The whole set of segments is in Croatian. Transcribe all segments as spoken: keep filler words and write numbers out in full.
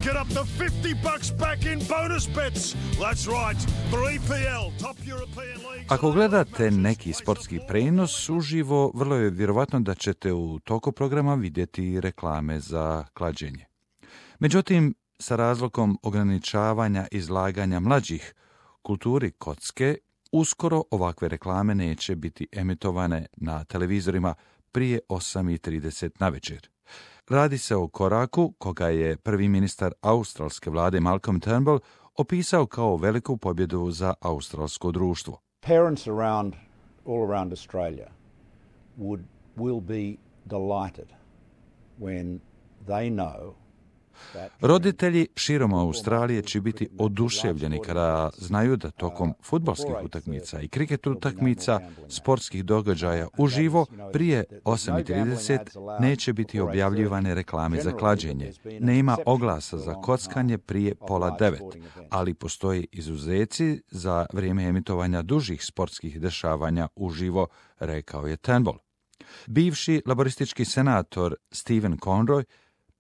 Get up to fifty bucks back in bonus bets. That's right. For E P L, top European leagues. Ako gledate neki sportski prenos uživo, vrlo je vjerovatno da ćete u toku programa vidjeti reklame za klađenje. Međutim, sa razlogom ograničavanja izlaganja mlađih kulturi kocke, uskoro ovakve reklame neće biti emitovane na televizorima prije osam i trideset navečer. Radi se o koraku koga je prvi ministar australske vlade Malcolm Turnbull opisao kao veliku pobjedu za australsko društvo. Parents around, all around Australia would, will be delighted when they know. Roditelji širom Australije će biti oduševljeni kada znaju da tokom fudbalskih utakmica i kriket utakmica, sportskih događaja uživo, prije osam i trideset neće biti objavljivane reklame za klađenje. Nema oglasa za kockanje prije pola devet, ali postoje izuzeci za vrijeme emitovanja dužih sportskih dešavanja uživo, rekao je Turnbull. Bivši laboristički senator Stephen Conroy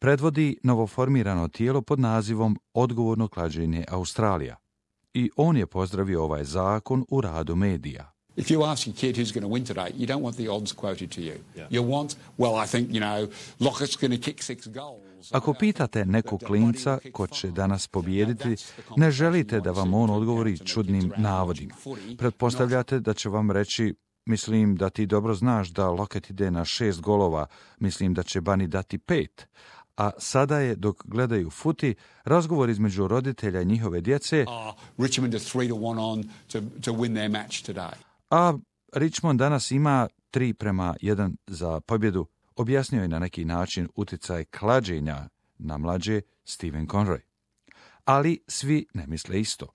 predvodi novoformirano tijelo pod nazivom Odgovorno klađenje Australija. I on je pozdravio ovaj zakon u radu medija. If you ask your kid who's going to win today, you don't want the odds quoted to you. Yeah. You want, well, I think, you know, Lockett's going to kick six goals. Ako pitate nekog klinca ko će danas pobijediti, ne želite da vam on odgovori čudnim navodima. Pretpostavljate da će vam reći: mislim da ti dobro znaš da Lockett ide na šest golova, mislim da će Bunny dati pet. A sada je, dok gledaju futi, razgovor između roditelja i njihove djece, a Richmond danas ima tri prema jedan za pobjedu, objasnio je na neki način utjecaj klađenja na mlađe Stephen Conroy. Ali svi ne misle isto.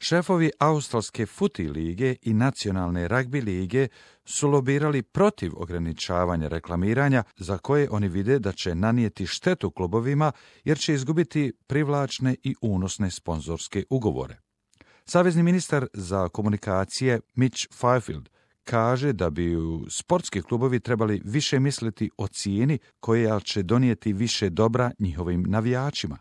Šefovi Australske futi lige i nacionalne ragbi lige su lobirali protiv ograničavanja reklamiranja, za koje oni vide da će nanijeti štetu klubovima jer će izgubiti privlačne i unosne sponzorske ugovore. Savezni ministar za komunikacije Mitch Fifield kaže da bi sportski klubovi trebali više misliti o cijeni koja će donijeti više dobra njihovim navijačima.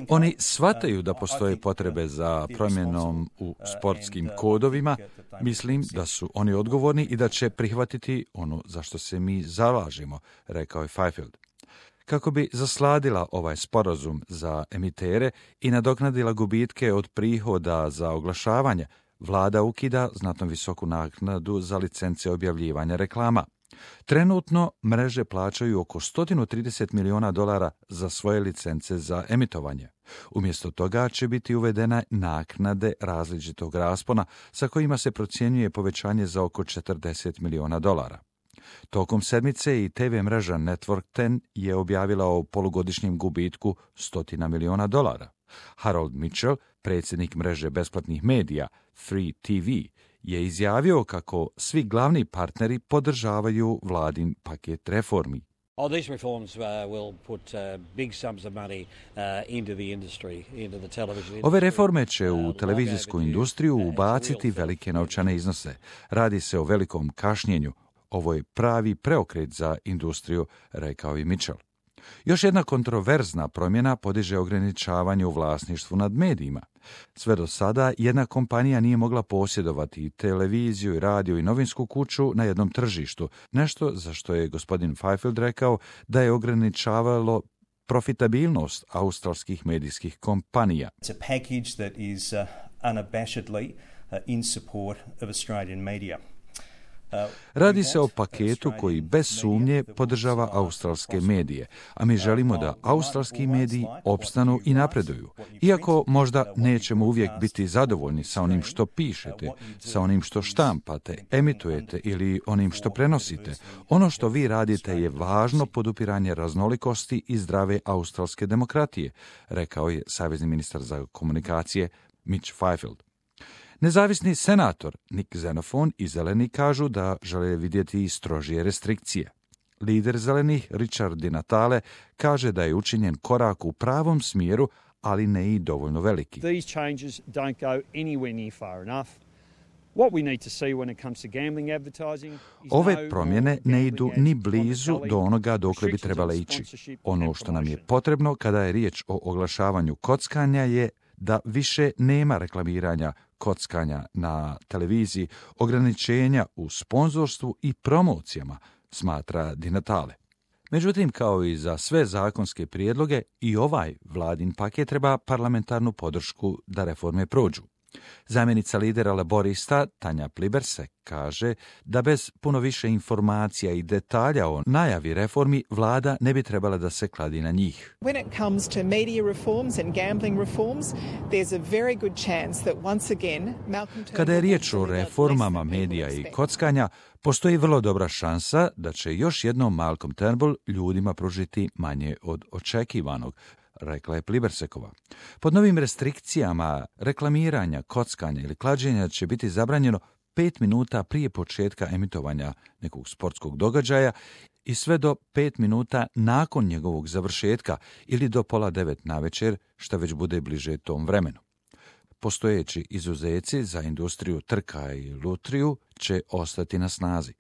Oni shvataju da postoje potrebe za promjenom u sportskim kodovima. Mislim da su oni odgovorni i da će prihvatiti ono za što se mi zalažemo, rekao je Fifield. Kako bi zasladila ovaj sporazum za emitere i nadoknadila gubitke od prihoda za oglašavanje, vlada ukida znatno visoku naknadu za licence objavljivanja reklama. Trenutno mreže plaćaju oko sto trideset miliona dolara za svoje licence za emitovanje. Umjesto toga će biti uvedene naknade različitog raspona sa kojima se procjenjuje povećanje za oko četrdeset miliona dolara. Tokom sedmice i te ve mreža Network deset je objavila o polugodišnjem gubitku stotina miliona dolara. Harold Mitchell, predsjednik mreže besplatnih medija Free T V, je izjavio kako svi glavni partneri podržavaju vladin paket reformi. Oh, these reforms uh, will put uh, big sums of money uh, into the industry, into the television industry. Ove reforme će u televizijsku industriju ubaciti velike novčane iznose. Radi se o velikom kašnjenju. Ovo je pravi preokret za industriju, rekao je Mitchell. Još jedna kontroverzna promjena podiže ograničavanje u vlasništvu nad medijima. Sve do sada jedna kompanija nije mogla posjedovati televiziju, radio i novinsku kuću na jednom tržištu, nešto za što je gospodin Fifield rekao da je ograničavalo profitabilnost australskih medijskih kompanija. It's a package that is uh, unabashedly uh, in support of Australian media. Radi se o paketu koji bez sumnje podržava australske medije, a mi želimo da australski mediji opstanu i napreduju. Iako možda nećemo uvijek biti zadovoljni sa onim što pišete, sa onim što štampate, emitujete ili onim što prenosite, ono što vi radite je važno podupiranje raznolikosti i zdrave australske demokratije, rekao je savezni ministar za komunikacije Mitch Fifield. Nezavisni senator Nick Xenophon i Zeleni kažu da žele vidjeti strožije restrikcije. Lider Zelenih Richard Di Natale kaže da je učinjen korak u pravom smjeru, ali ne i dovoljno veliki. These changes don't go anywhere near far enough. Ove promjene ne idu ni blizu do onoga dokle bi trebale ići. Ono što nam je potrebno kada je riječ o oglašavanju kockanja je da više nema reklamiranja kockanja na televiziji, ograničenja u sponzorstvu i promocijama, smatra Di Natale. Međutim, kao i za sve zakonske prijedloge, i ovaj vladin paket treba parlamentarnu podršku da reforme prođu. Zamjenica lidera laborista Tanja Plibersek kaže da bez puno više informacija i detalja o najavi reformi vlada ne bi trebala da se kladi na njih. When it comes to media reforms and gambling reforms, there's a very good chance that once again Malcolm Turnbull... Kada je riječ o reformama medija i kockanja, postoji vrlo dobra šansa da će još jednom Malcolm Turnbull ljudima pružiti manje od očekivanog, rekla je Plibersekova. Pod novim restrikcijama reklamiranja, kockanja ili klađenja će biti zabranjeno pet minuta prije početka emitovanja nekog sportskog događaja i sve do pet minuta nakon njegovog završetka ili do pola devet navečer, što već bude bliže tom vremenu. Postojeći izuzeci za industriju trka i lutriju će ostati na snazi.